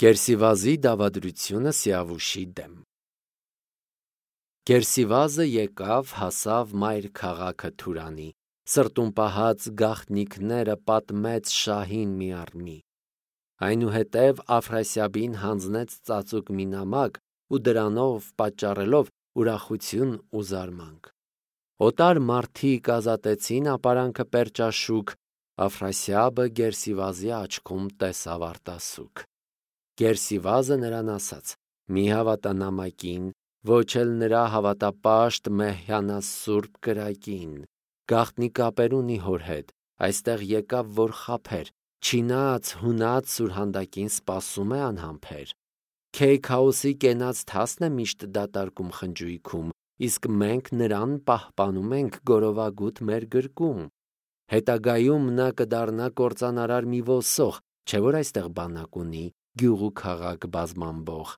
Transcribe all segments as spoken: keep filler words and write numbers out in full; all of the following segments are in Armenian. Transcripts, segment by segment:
Գերսիվազի դավադրությունը Սիավուշի դեմ։ Գերսիվազը եկավ, հասավ մայր քաղաքը Թուրանի, սրտում պահած գաղտնիքները պատմեց շահին մի առ մի։ Այնուհետև Աֆրասիաբին հանձնեց ծածուկ մի նամակ ու դրանով պատճառելով ուրախություն ու զարմանք։ Օտար մարդիկ ազատեցին ապարանքը պերճաշուք, Աֆրասիաբը Գերսիվազի աչքում տեսավ արտասուք։ Գերսիվազը նրան ասաց. «Մի հավատա նամակին, ոչ էլ նրա հավատապաշտ Մեհյանասուրբ կրակին։ Գաղտնի կապեր ունի հոր հետ, այստեղ եկավ, որ խաբեր, չինած, հունած սուրհանդակին սպասում է անհամբեր։ Քեյքաուսի կենաց թասն է միշտ դատարկում խնջույքում, իսկ մենք նրան պահպանում ենք գորովագութ մեր գրկում։ Հետագայում նա կդառնա կործանարար մի ոսող, չէ՞ որ այստեղ բանակ ունի, գյուղ ու քաղաք բազմամբող։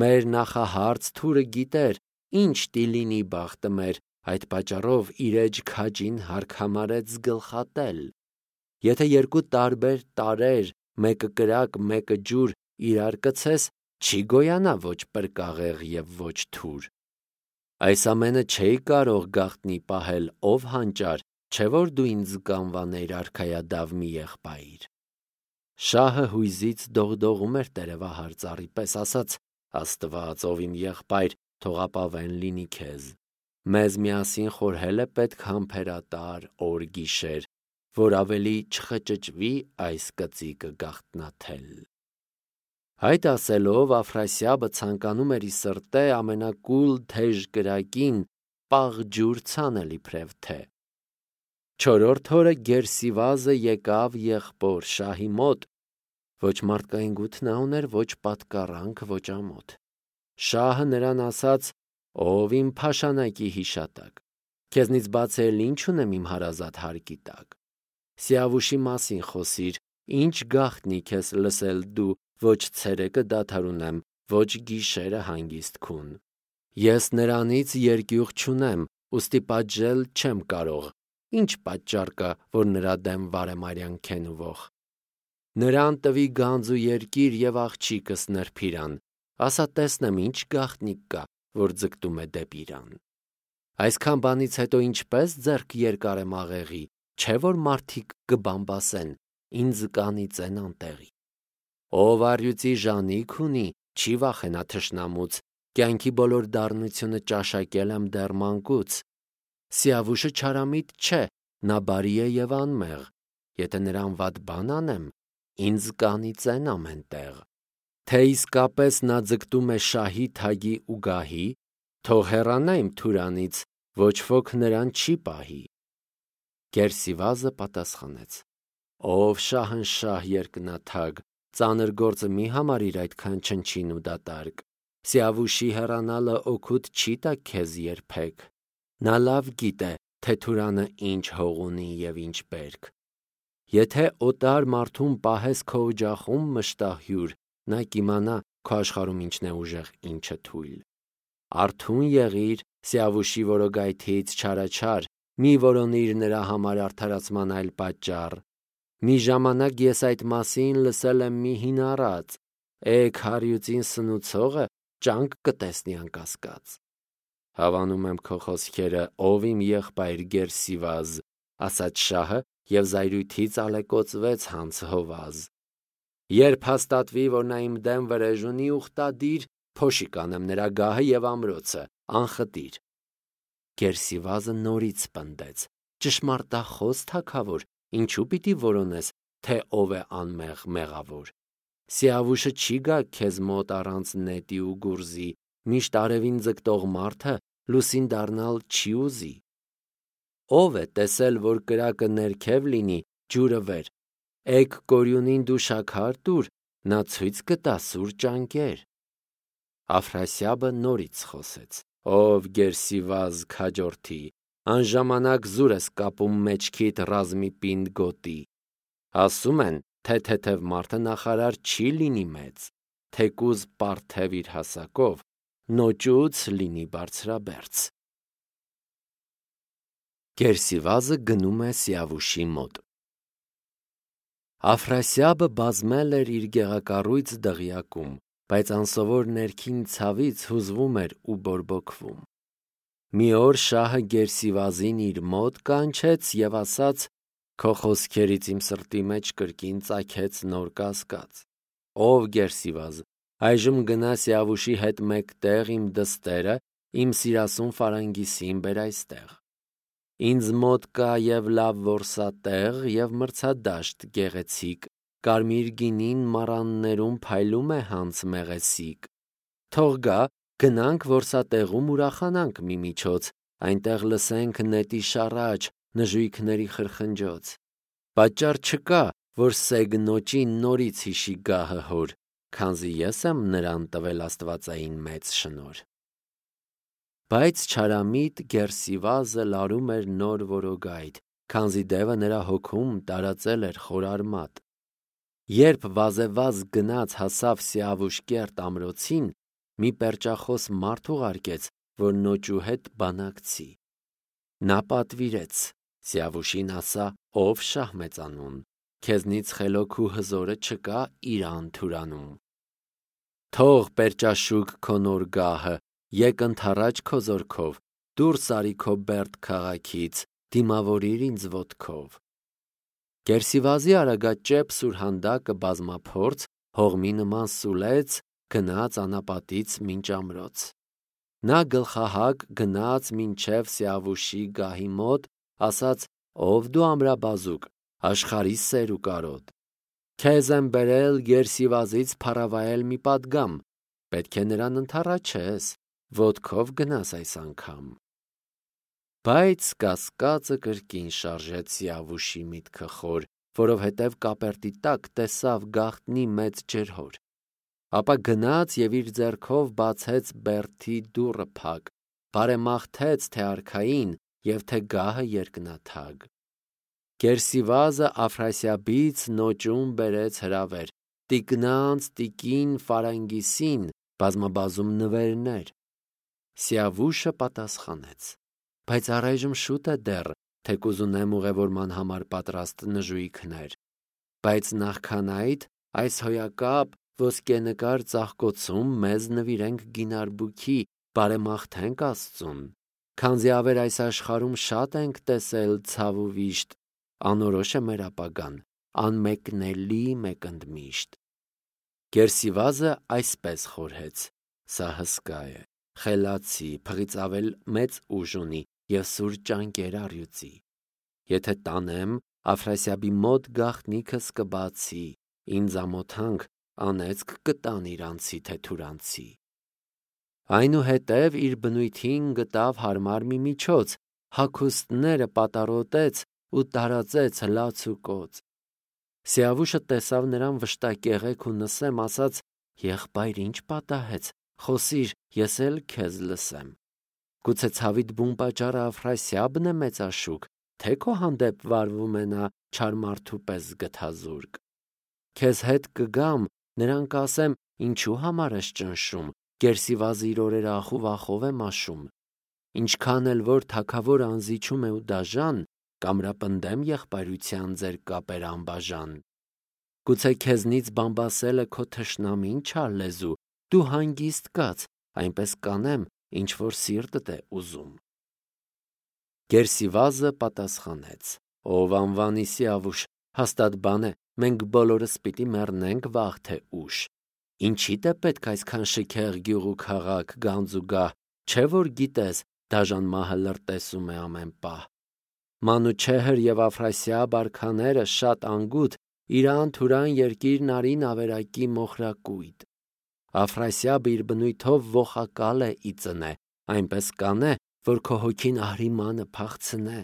Մեր նախահարց թուրը գիտեր, ինչ տի լինի բախտը մեր, այդ պատճառով իր էջ քաջին հարկ համարեց զգլխատել։ Եթե երկու տարբեր տարրեր, մեկը կրակ, մեկը ջուր, իրար կցես, չի գոյանա ոչ պրկաղեղ և ոչ թուր։ Այս ամենը չէի կարող գաղտնի պահել, ով հանճար, չէ՞ որ դու ինձ կանվաներ արքայադավ մի եղբայր։ Շահը հույզից դողդողում էր տերևահար ծառի պես, ասաց. «Աստված, ով իմ եղբայր, թող ապավեն լինի քեզ։ Մեզ միասին խորհել է պետք համբերատար օր գիշեր, որ ավելի չխճճվի այս կծիկը գաղտնաթել»։ Այդ ասելով Աֆրասիաբը ցանկանում էր ի սրտե ամենակուլ թեժ կրակին պաղ ջուր ցանել իբրև թե։ Չորրորդ օրը Գերսիվազը եկավ եղբոր շահի մոտ, ոչ մարդկային գութ նա ուներ, ոչ պատկառանք, ոչ ամոթ։ Շահը նրան ասաց. «Ով իմ փաշանակի հիշատակ, քեզնից բաց էլ ինչ ունեմ իմ հարազատ հարկի տակ։ Սիավուշի մասին խոսիր, ինչ գաղտնիք ես լսել դու, ոչ ցերեկը դադարունեմ, ոչ գիշերը հանգիստ քուն։ Ես նրանից երկյուղ չունեմ, ուստի պատժել չեմ կարող, ինչ պատճառ կա, որ նրա դեմ վարեմարյան քեն ուվող։ Նրան տվի գանձ ու երկիր և աղջիկս նրբիրան, ասա տեսնեմ ինչ գաղտնիք կա, որ ձգտում է դեպի իրան։ Այսքան բանից հետո ինչպես ձեռք երկարեմ աղեղի, չէ՞ որ մարդիկ կբամբասեն, ինձ կանիծեն անտեղի։ Ով առյուծի ժանիք ունի, չի վախենա թշնամուց, կյանքի բոլոր դառնությունը ճաշակել եմ դեռ մանկուց։ Սիավուշը չարամիտ չէ, նա բարի է և անմեղ, եթե նրան վատ բան անեմ, ինձ կանիծեն ամեն տեղ։ Թե իսկապես նա ձգտում է շահի, թագի ու գահի, թող հեռանա իմ Թուրանից, ոչ ոք նրան չի պահի։ Գերսիվազը պատասխանեց. «Ով շահնշահ երկնաթագ, ծանր գործը մի համարիր այդքան չնչին ու դատարկ։ Սիավուշի հեռանալը օգուտ չի տա քեզ երբեք։ Նա լավ գիտե, թե Թուրանը ինչ հող ունի և ինչ բերք։ Եթե օտար մարդուն պահես քո օջախում մշտահյուր, նա կիմանա քո աշխարհում ինչն է ուժեղ, ինչը թույլ։ Արթուն եղիր Սիավուշի որոգայթից չարաչար, մի որոնիր նրա համար արդարացման այլ պատճառ։ Մի ժամանակ ես այդ մասին լսել եմ մի հին առած. էգ հարյուծին սնուցողը ճանկ կտեսնի անկասկած։ Հավանում եմ քո խոսքերը, ով իմ եղբայր Գերսիվազ, ասաց շահը և զայրույթից ալեկոծվեց հանց հովազ։ Երբ հաստատվի, որ նա իմ դեմ վրեժ ունի ուխտադիր, փոշի կանեմ նրա գահը և ամրոցը, անխտիր։ Գերսիվազը նորից պնդեց. ճշմարտախոս թագավոր, ինչու պիտի որոնես, թե ով է անմեղ մեղավոր։ Սիավուշը չի գա քեզ մոտ առանց նետի ու գուրզի, միշտ արևին ձգտող մարդը լուսին դառնալ չի ուզի։ Ով է տեսել, որ կրակը ներքև լինի, ջուրը վեր։ Էգ կորյունին դու շաքար տուր, նա ցույց կտա սուր ճանկեր։ Աֆրասիաբը նորից խոսեց. Ով Գերսիվազ քաջորդի, անժամանակ զուր ես կապում մեջքիդ ռազմի պինդ գոտի։ Ասում են, թե թեթև մարդը նախարար չի լինի մեծ, թեկուզ պարթև իր հասակով, նոճուց լինի բարձրաբերձ։ Գերսիվազը գնում է Սիավուշի մոտ։ Աֆրասիաբը բազմել էր իր գեղակառույց դղյակում, բայց անսովոր ներքին ցավից հուզվում էր ու բորբոքվում։ Մի օր շահը Գերսիվազին իր մոտ կանչեց և ասաց. «Քո խոսքերից իմ սրտի մեջ կրկին ծագեց նոր կասկած։ Ով Գերսիվազ, այժմ գնա Սիավուշի հետ մեկտեղ իմ դստերը, իմ սիրասուն Ֆարանգիսին բեր այստեղ։ Ինձ մոտ կա և լավ որսատեղ, և մրցադաշտ գեղեցիկ, կարմիր գինին մառաններում փայլում է հանց մեղեսիկ։ Թող գա, գնանք որսատեղում ուրախանանք միմիջոց, այնտեղ լսենք նետի շառաչ, նժույգների խրխնջոց։ Պատճառ չկա, որ սեգնոճի նորից հիշի գահը հոր, քանզի ես եմ նրան տվել աստվածային մեծ շնորհ»։ Բայց չարամիտ Գերսիվազը լարում էր նոր որոգայթ, քանզի դևը նրա հոգում տարածել էր խորարմատ։ Երբ վազեվազ գնաց հասավ Սիավուշ կերտ ամրոցին, մի պերճախոս մարդ ուղարկեց, որ նոճու հետ բանակցի։ Նա պատվիրեց, Սիավուշին ասա, ով շահ մեծանուն, քեզնից խելոք ու հզորը չկա իրան թուրանում։ Թող պերճաշուկ քո նոր գահը, եկ ընդառաջ քո զորքով, դուրս արի քո Բերդ քաղաքից, դիմավորիր ինձ ոտքով։ Գերսիվազի արագաճեպ սուրհանդակը բազմափորձ, հողմի նման սուլեց, գնաց անապատից մինչ ամրոց։ Նա գլխահակ գնաց մինչև Սիավուշի գահի մոտ, ասաց. «Ով դու ամրաբազուկ, աշխարհի սեր ու կարոտ։ Քեզ եմ բերել Գերսիվազից փառավայել մի պատգամ, պետք է նրան ընդառաջես, ոտքով գնաս այս անգամ»։ Բայց կասկածը կրկին շարժեց Սիավուշի միտքը խոր, որովհետև կապերտի տակ տեսավ գաղտնի մեծ ջրհոր։ Ապա գնաց և իր ձեռքով բացեց Բերդի դուռը փակ, բարեմաղթեց թե արքային և թե գահը երկնաթագ։ Գերսիվազը Աֆրասիաբից նոճում բերեց հրավեր, տիկնանց տիկին Ֆարանգիսին, բազմաբազում նվերներ։ Սիավուշը պատասխանեց. «Բայց առայժմ շուտ է դեռ, թեկուզ ունեմ ուղևորման համար պատրաստ նժույգներ։ Բայց նախքան այդ, այս հոյակապ ոսկենկար ծաղկոցում մեզ նվիրենք գինարբուքի, բարեմաղթենք Աստծուն, քանզի ավեր այս աշխարհում շատ ենք տեսել ցավ ու վիշտ, անորոշ է մեր ապագան, անմեկնելի մեկընդմիշտ»։ Գերսիվազը այսպես խորհեց. «Սա հսկա է, խելացի, փղից ավել մեծ ուժ ունի և սուր ճանկեր առյուծի։ Եթե տանեմ, Աֆրասիաբի մոտ գաղտնիքս կբացի, ինձ ամոթանք, անեծք կտան իրանցի թե թուրանցի»։ Այնուհետև իր բնույթին գտավ հարմար մի միջոց, հագուստները պատառոտեց ու տարածեց լաց ու կոծ։ Սիավուշը տեսավ նրան վշտակեղեք ու նսեմ, ասաց. «Եղբայր, ինչ պատահեց, խոսիր, ես էլ քեզ լսեմ։ Գուցե ցավիդ բուն պատճառը Աֆրասիաբն է մեծաշուկ, թե քո հանդեպ վարվում է նա չար մարդու պես գթազուրկ։ Քեզ հետ կգամ, նրան կասեմ. ինչու համար ես ճնշում, Գերսիվազը իր օրերը ախուվախով է մաշում։ Ինչքան էլ որ թագավոր անզիջում է ու դաժան, կամրապնդեմ եղբայրության ձեր կապեր անբաժան։ Գուցե քեզնից բամբասել է քո թշնամին չար լեզու, դու հանգիստ կաց, այնպես կանեմ, ինչ որ սիրտդ է ուզում»։ Գերսիվազը պատասխանեց. «Ով անվանի Սիավուշ, հաստատ բան է, մենք բոլորս պիտի մեռնենք վաղ թե ուշ։ Ինչիդ է պետք այսքան շքեղ գյուղ ու քաղաք, գանձ ու գահ, չէ որ գիտես, դաժան մահը լրտեսում է ամեն պահ։ Մանուչեհր և Աֆրասիաբ արքաները շատ անգութ, իրան թուրան երկիրն արին ավերակի մոխրակույտ։ Աֆրասիաբը իր բնույթով ոխակալ է ի ծնե, այնպես կանե, որ քո հոգին ahriմանը փախցնե։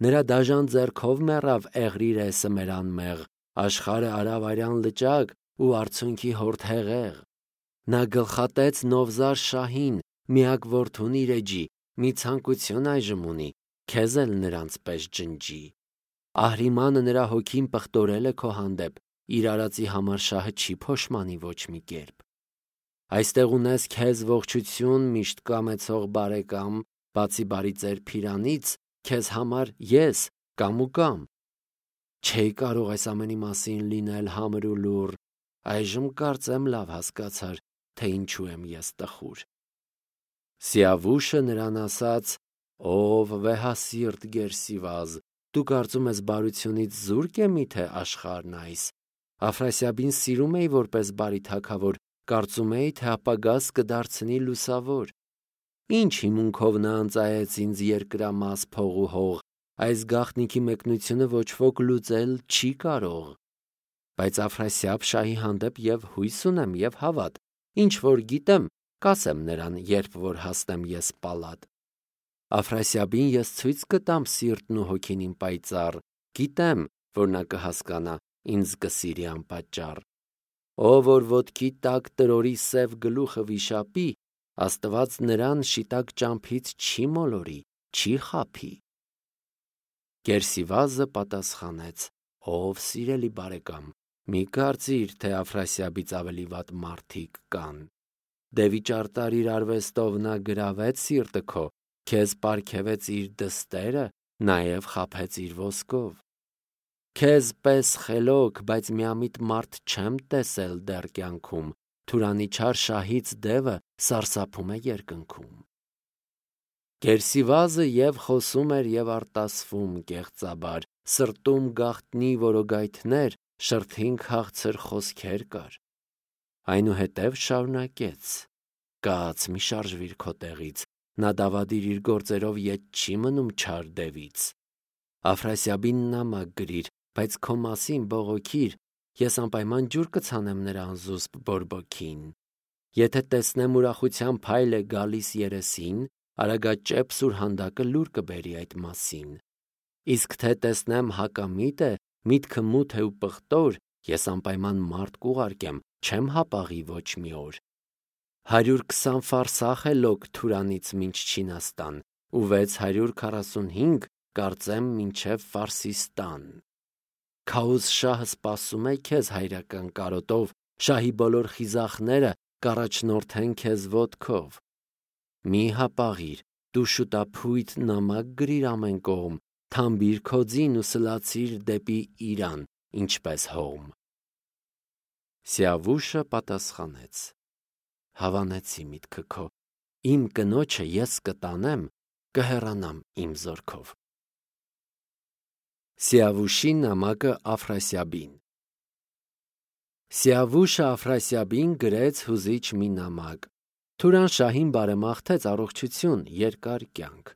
Նրա դաժան ձեռքով մեռավ Էղրիրեսը մեր անմեղ, աշխարհը արավ արյան լճակ ու արցունքի հորդ հեղեղ։ Նա գլխատեց Նովզար շահին, միակ որդուն իր էջի, մի ցանկություն այժմ ունի, քեզ էլ նրանց պես ջնջի։ Ahriմանը նրա հոգին պղտորել է քո հանդեպ, իր արածի համար շահը չի փոշմանի ոչ մի կերպ։ Այստեղ ունես քեզ ողջություն միշտ կամեցող բարեկամ, բացի բարի ծեր Փիրանից, քեզ համար ես կամ ու կամ։ Չէի կարող այս ամենի մասին լինել համր ու լուռ, այժմ կարծեմ լավ հասկացար, թե ինչու եմ ես տխուր։ Սիավուշը նրան ասաց. «Ով վեհասիրտ Գերսիվազ, դու կարծում ես բարությունից զուրկ է միթե աշխարհն այս։ Աֆրասիաբին սիրում էի որպես բարի թագավոր, կարծում էի, թե ապագաս կդարձնի լուսավոր։ Ինչ հիմունքով նա ընծայեց ինձ երկրամաս փող ու հող, այս գաղտնիքի մեկնությունը ոչ ոք լուծել չի կարող։ Բայց Աֆրասիաբ շահի հանդեպ և հույս ունեմ և հավատ, ինչ որ գիտեմ, կասեմ նրան, երբ որ հասնեմ ես պալատ։ Աֆրասիաբին ես ցույց կտամ սիրտն ու հոգին իմ պայծառ, գիտեմ, որ նա կհասկանա, ինձ կսիրի անպատճառ։ Ով որ ոտքի տակ տրորի սև գլուխը վիշապի, Աստված նրան շիտակ ճամփից չի մոլորի, չի խաբի»։ Գերսիվազը պատասխանեց. «Ով սիրելի բարեկամ, մի կարծիր, թե Աֆրասիաբից ավելի վատ մարդիկ կան։ Դե վիճարտարիր արվեստով նա գրավեց սիրտը քո, քեզ պարգևեց իր դստերը, նաև խաբեց իր ոսկով։ Քեզ պես խելոք, բայց միամիտ մարդ չեմ տեսել դեռ կյանքում, Թուրանի չար շահից դևը սարսափում է երկնքում»։ Գերսիվազը և խոսում էր և արտասվում կեղծաբար, սրտում գաղտնի որոգայթներ, շրթին քաղցր խոսքեր կար։ Այնուհետև շարունակեց. «Կաց մի շարժվիր քո տեղից, նա դավադիր իր գործերով ետ չի մնում չար դևից։ Աֆրասիաբին նամակ գրիր, բայց քո մասին բողոքիր, ես անպայման ջուր կցանեմ նրան զուսպ բորբոքին։ Եթե տեսնեմ ուրախության փայլ է գալիս երեսին, արագաճեպ սուրհանդակը լուր կբերի այդ մասին։ Իսկ թե տեսնեմ հակամիտ է, միտքը մութ է ու պղտոր, ես անպայման մարդ կուղարկեմ, չեմ հապաղի ոչ մի օր։ Հարյուր քսան ֆարսախ է լոկ Թուրանից մինչ Չինաստան, ու վեց հարյուր քառասունհինգ կարծեմ մինչև Ֆարսիստան։ Քաուզ շահը սպասում է քեզ հայրական կարոտով, շահի բոլոր խիզախները կառաջնորդեն քեզ ոտքով։ Մի հապաղիր, դու շուտափույթ նամակ գրիր ամեն կողմ, թամբիր քո ձին ու սլացիր դեպի Իրան, ինչպես հողմ։ Սիավուշը պատասխանեց. «Հավանեցի միտքը քո, իմ կնոջը ես կտանեմ, կհեռանամ իմ զորքով»։ Սիավուշի նամակը Աֆրասիաբին։ Սիավուշը Աֆրասիաբին գրեց հուզիչ մի նամակ։ Թուրան շահին բարեմաղթեց առողջություն, երկար կյանք։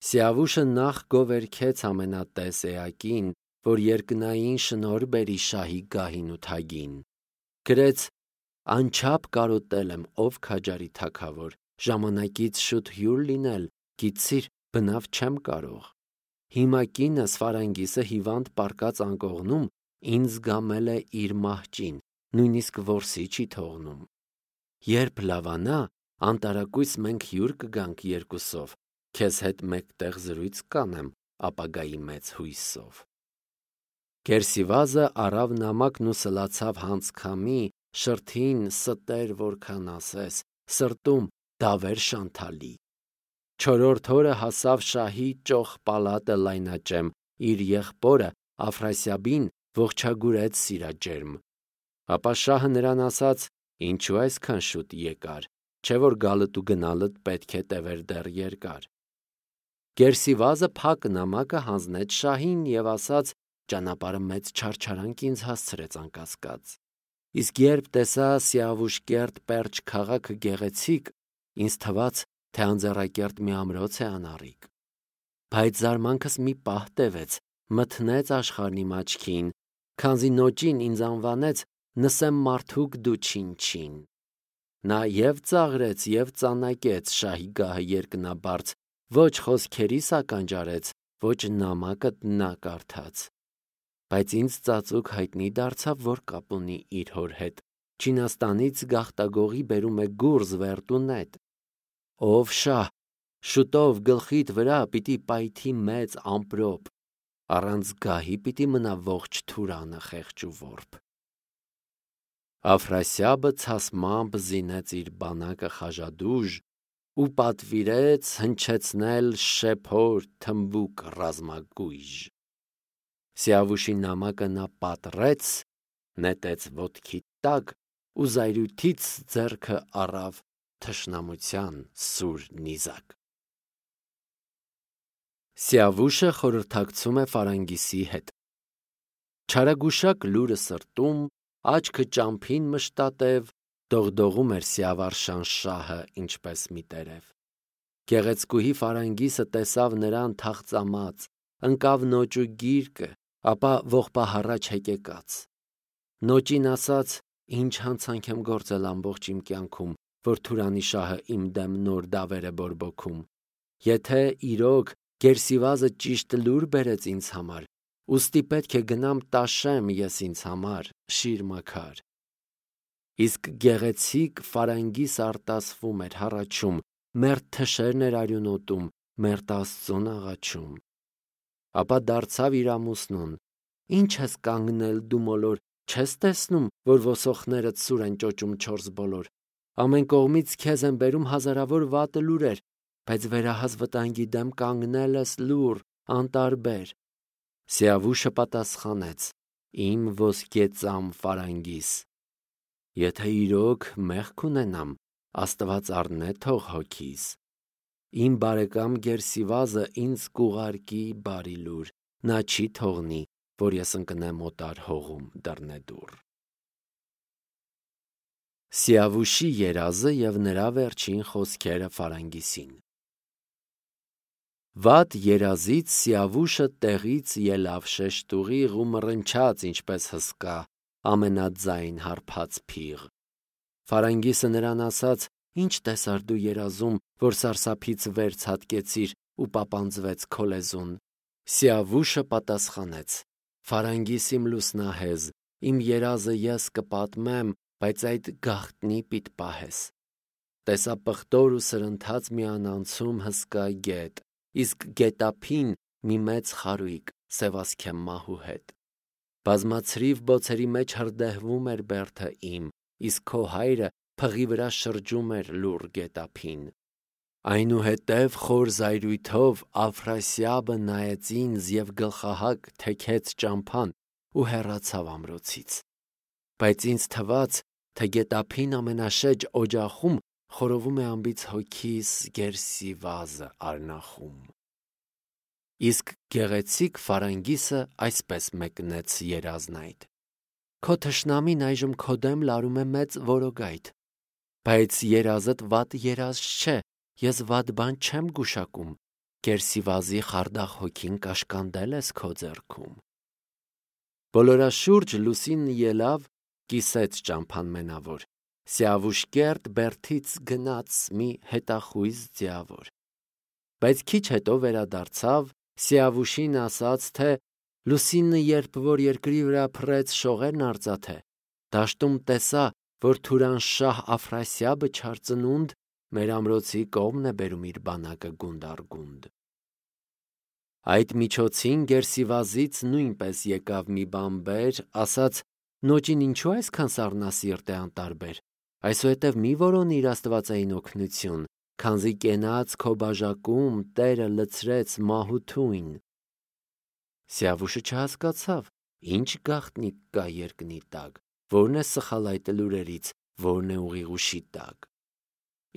Սիավուշը նախ գովերգեց ամենատես էակին, որ երկնային շնորհ բերի շահի գահին ու թագին։ Գրեց. «Անչափ կարոտել եմ, ով քաջարի թագավոր, ժամանակից շուտ հյուր լինել, գիտցիր, բնավ չեմ կարող։ Հիմա կինս Ֆարանգիսը հիվանդ պառկած անկողնում, ինձ գամել է իր մահճին, նույնիսկ որսի չի թողնում։ Երբ լավանա, անտարակույս մենք հյուր կգանք երկուսով, քեզ հետ մեկտեղ զրույց կանեմ ապագայի մեծ հույսով»։ Գերսիվազը առավ նամակն ու սլացավ հանցքամի, շրթին ստեր որքան ասես, սրտում դավեր շանթալի։ Չորրորդ օրը հասավ շահի ճոխ պալատը լայնաճեմ, իր եղբորը Աֆրասիաբին ողջագուրեց սիրաջերմ։ Ապա շահը նրան ասաց. «Ինչու այսքան շուտ եկար, չէ որ գալդ ու գնալդ պետք է տևեր դեռ երկար»։ Գերսիվազը փակ նամակը հանձնեց շահին և ասաց. «Ճանապարհը մեծ չարչարանք ինձ հասցրեց անկասկած։ Իսկ երբ տեսա Սիավուշկերտ պերճ քաղաքը գեղեցիկ, ինձ թվաց, թե անձեռակերտ մի ամրոց է անառիկ։ Բայց զարմանքս մի պահ տևեց, մթնեց աշխարհն իմ աչքին, քանզի նոճին ինձ անվանեց Նսեմ մարդուկ դու չին-չին։ Նա և ծաղրեց, և ծանակեց շահի գահը երկնաբարձ, ոչ խոսքերիս ականջարեց, ոչ նամակդ նա կարդաց։ Բայց ինձ ծածուկ հայտնի դարձավ, որ կապ ունի իր հոր հետ, Չինաստանից գաղտագողի բերում է գուրզ վերտ ու նետ։ Ով շահ, շուտով գլխիդ վրա պիտի պայթի մեծ ամպրոպ, առանց գահի պիտի մնա ողջ Թուրանը խեղճ ու որբ։ Աֆրասիաբը ցասմամբ զինեց իր բանակը խաժադուժ ու պատվիրեց հնչեցնել շեփոր թմբուկ ռազմագույժ։ Սիավուշի նամակը նա պատռեց, նետեց ոտքի տակ ու զայրույթից ձեռքը առավ թշնամության սուր նիզակ։ Սիավուշը խորհրդակցում է Ֆարանգիսի հետ։ Չարագուշակ լուրը սրտում, աչքը ճամփին մշտատև, դողդողում էր Սիավարշան շահը ինչպես մի տերև։ Գեղեցկուհի Ֆարանգիսը տեսավ նրան թախծամած, ընկավ նոճու գիրկը, ապա ողբահառաջ հեկեկաց։ Նոճին ասաց. «Ինչ հանցանք եմ գործել ամբողջ իմ կյանքում, որ Թուրանի շահը իմ դեմ նոր դավեր է բորբոքում։ Եթե իրոք Գերսիվազը ճիշտ լուր բերեց ինձ համար, ուստի պետք է գնամ տաշեմ ես ինձ համար, շիր մաքար»։ Իսկ գեղեցիկ Ֆարանգիսը արտասվում էր, հառաչում, մերթ թշերն էր արյունոտում, մերթ Աստծուն աղաչում։ Ապա դարձավ իր ամուսնուն. «Ինչ ես կանգնել դու մոլոր, չես տեսնում, որ ոսոխներդ սուր են ճոճում չորս բոլոր։ Ամեն կողմից քեզ են բերում հազարավոր վատ լուրեր, բայց վերահաս վտանգի դեմ կանգնել ես լուռ, անտարբեր»։ Սիավուշը պատասխանեց. «Իմ ոսկեծամ Ֆարանգիս, եթե իրոք մեղք ունենամ, Աստված առնե թող հոգիս։ Իմ բարեկամ Գերսիվազը ինձ կուղարկի բարի լուր, նա չի թողնի, որ ես ընկնեմ օտար հողում դռնեդուռ»։ Սիավուշի երազը և նրա վերջին խոսքերը Ֆարանգիսին։ Վատ երազից Սիավուշը տեղից ելավ շեշտուղիղ ու մռնչաց ինչպես հսկա, ամենաձայն հարբած փիղ։ Ֆարանգիսը նրան ասաց. «Ինչ տեսար դու երազում, որ սարսափից վեր ցատկեցիր ու պապանձվեց քո լեզուն»։ Սիավուշը պատասխանեց. «Ֆարանգիս իմ լուսնահեզ, իմ երազը ես կպատմեմ, բայց այդ գաղտնի պիտի պահես։ Տեսա պղտոր ու սրընթաց մի անանցում հսկա գետ, իսկ գետափին մի մեծ խարույկ, սևասքեմ մահու հետ։ Բազմացրիվ բոցերի մեջ հրդեհվում էր բերդը իմ, իսկ քո հայրը փղի վրա շրջում էր լուռ գետափին։ Այնուհետև խոր զայրույթով Աֆրասիաբը նայեց ինձ և գլխահակ թեքեց ճամփան ու հեռացավ ամրոցից։ Բայց ինձ թվաց, թե գետափին ամենաշեջ օջախում խորովում է անբիծ հոգիս Գերսիվազը արնախում»։ Իսկ գեղեցիկ Ֆարանգիսը այսպես մեկնեց երազն այդ. «Քո թշնամին այժմ քո դեմ լարում է մեծ որոգայթ, բայց երազդ վատ երազ չէ, ես վատ բան չեմ գուշակում, Գերսիվազի խարդախ հոգին կաշկանդել ես քո ձեռքում»։ Բոլորաշուրջ լուսինը ելավ, կիսեց ճամփան մենավոր, Սիավուշկերտ բերդից գնաց մի հետախույզ ձիավոր։ Բայց քիչ հետո վերադարձավ, Սիավուշին ասաց, թե լուսինը երբ որ երկրի վրա փռեց շողերն արծաթե, դաշտում տեսա, որ Թուրանշահ Աֆրասիաբը չար ծնունդ մեր ամրոցի կողմն է բերում իր բանակը գունդ առ գունդ։ Այդ միջոցին Գերսիվազից նույնպես եկավ մի բանբեր, ասաց. «Նոճին ինչու այսքան սառնասիրտ է անտարբեր, այսուհետև մի որոնի իր աստվածային օգնություն, քանզի կենաց քո բաժակում Տերը լցրեց մահու թույն»։ Սիավուշը չհասկացավ, ինչ գաղտնիք կա երկնի տակ, որն է սխալ այդ լուրերից, որն է ուղիղուշի տակ։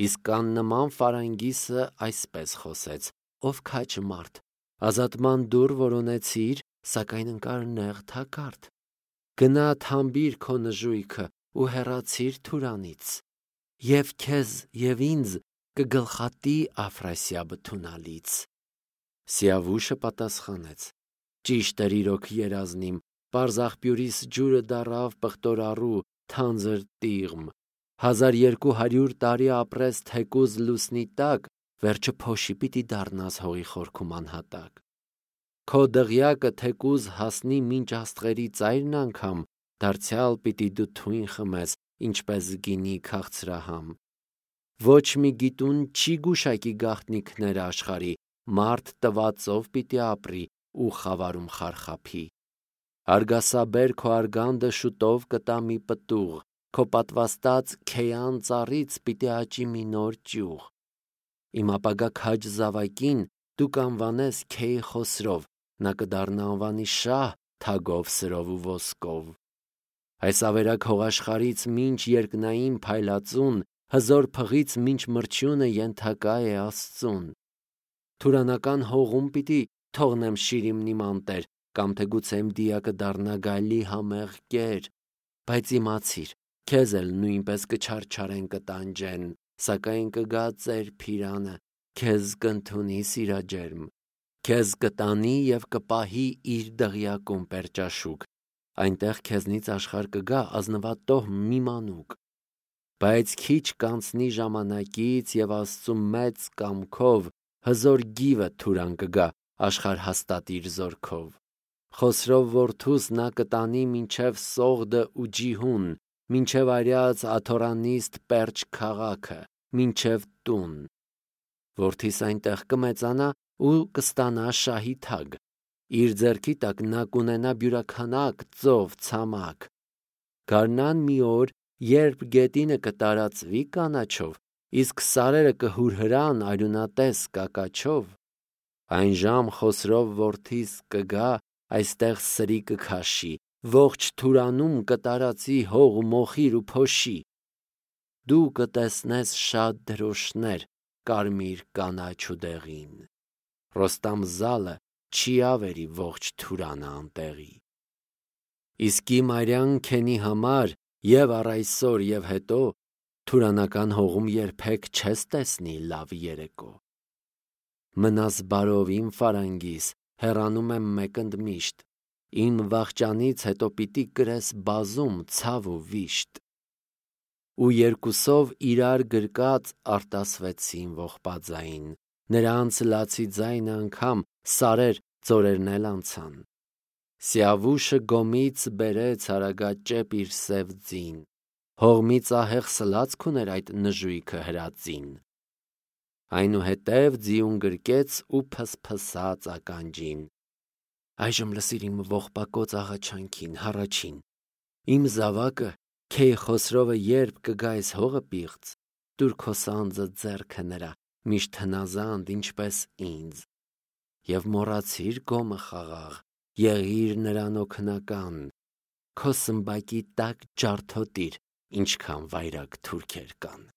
Իսկ աննման Ֆարանգիսը այսպես խոսեց. «Ով քաջ մարդ, ազատման դուռ որոնեցիր, սակայն ընկար նեղ թակարդ։ Գնա թամբիր քո նժույգը ու հեռացիր Թուրանից, և քեզ և ինձ կգլխատի Աֆրասիաբը թունալից»։ Սիավուշը պատասխանեց. «Ճիշտ էր իրոք երազն իմ, պարզ աղբյուրիս ջուրը դառավ պղտորառու, թանձր տիղմ։ Հազար երկու հարյուր տարի ապրես թեկուզ լուսնի տակ, վերջը փոշի պիտի դառնաս հողի խորքում անհատակ։ Քո դղյակը թեկուզ հասնի մինչ աստղերի ծայրն անգամ, դարձյալ պիտի դու թույն խմես, ինչպես գինի քաղցրահամ։ Ոչ մի գիտուն չի գուշակի գաղտնիքները աշխարհի, մարդ տվածով պիտի ապրի ու խավարում խարխափի։ Արգասաբեր քո արգանդը շուտով կտա մի պտուղ, քո պատվաստած քեյան ծառից պիտի աճի մի նոր ճյուղ։ Իմ ապագա քաջ զավակին դու կանվանես Քեյ Խոսրով, նա կդառնա անվանի շահ թագով, սրով ու ոսկով։ Այս ավերակ հողաշխարից մինչ երկնային փայլածուն, հզոր փղից մինչ մրջյունը ենթակա է Աստծուն։ Թուրանական հողում պիտի թողնեմ շիրիմն իմ անտեր, կամ թե գուցե իմ դիակը դառնա գայլի համեղ կեր, բայց իմացիր, քեզ էլ նույնպես կչարչարեն կտանջեն, սակայն կգա ծեր փիրանը, քեզ կընդունի սիրաջերմ, քեզ կտանի և կպահի իր դղյակում պերճաշուք, այնտեղ քեզնից աշխարհ կգա ազնվատոհ մի մանուկ, բայց քիչ կանցնի ժամանակից և Աստծու մեծ կամքով հզոր գիվը թուրան կգա աշխարհ հաստատիր զորքով։ Խոսրով որդուս նա կտանի մինչև Սողդը ու Ջիհուն, մինչև արյաց Աթորանիստ Պերճ քաղաքը, մինչև տուն։ Որդիս այնտեղ կմեծանա ու կստանա շահի թագ, իր ձեռքի տակ նա կունենա բյուրաքանակ ծով ցամաք։ Գարնան մի օր, երբ գետինը կտարածվի կանաչով, իսկ սարերը կհուրհրան արյունատես կակաչով, այն ժամ Խոսրով որդիս կգա այստեղ սրի կքաշի, ողջ Թուրանում կտարածի հող ու մոխիր ու փոշի։ Դու կտեսնես շատ դրոշներ կարմիր կանաչ ու դեղին։ Ռոստամ-Զալը չի ավերի ողջ Թուրանը անտեղի։ Իսկի Մարյան քենի համար և առ այսօր և հետո Թուրանական հողում երբեք չես տեսնի լավ երեկո։ Մնաս բարով իմ ֆարանգիս, հեռանում եմ մեկ ընդմիշտ, իմ վախճանից հետո պիտի կրես բազում ցավ ու վիշտ։ Ու երկուսով իրար գրկած արտասվեցին ողբաձայն, նրանց լացի ձայնը անգամ սարեր ձորերն էլ անցան։ Սիավուշը գոմից բերեց հարագաճեպ իր սև ձին, հողմից ահեղ սլացք ուներ այդ նժույգը հրածին։ Այնուհետև ձիուն գրկեց ու փսփսաց ականջին։ Այժմ լսիր իմ ողբակոծ աղաչանքին, հառաչին։ Իմ զավակը, Քեյ Խոսրովը երբ կգա այս հողը պիղծ, տուր քո սանձը ձեռքը նրա, միշտ հնազանդ ինչպես ինձ, և մոռացիր գոմը խաղաղ, եղիր նրան օգնական, քո սմբակի տակ ջարդոտիր, ինչքան վայրագ թուրքեր կան։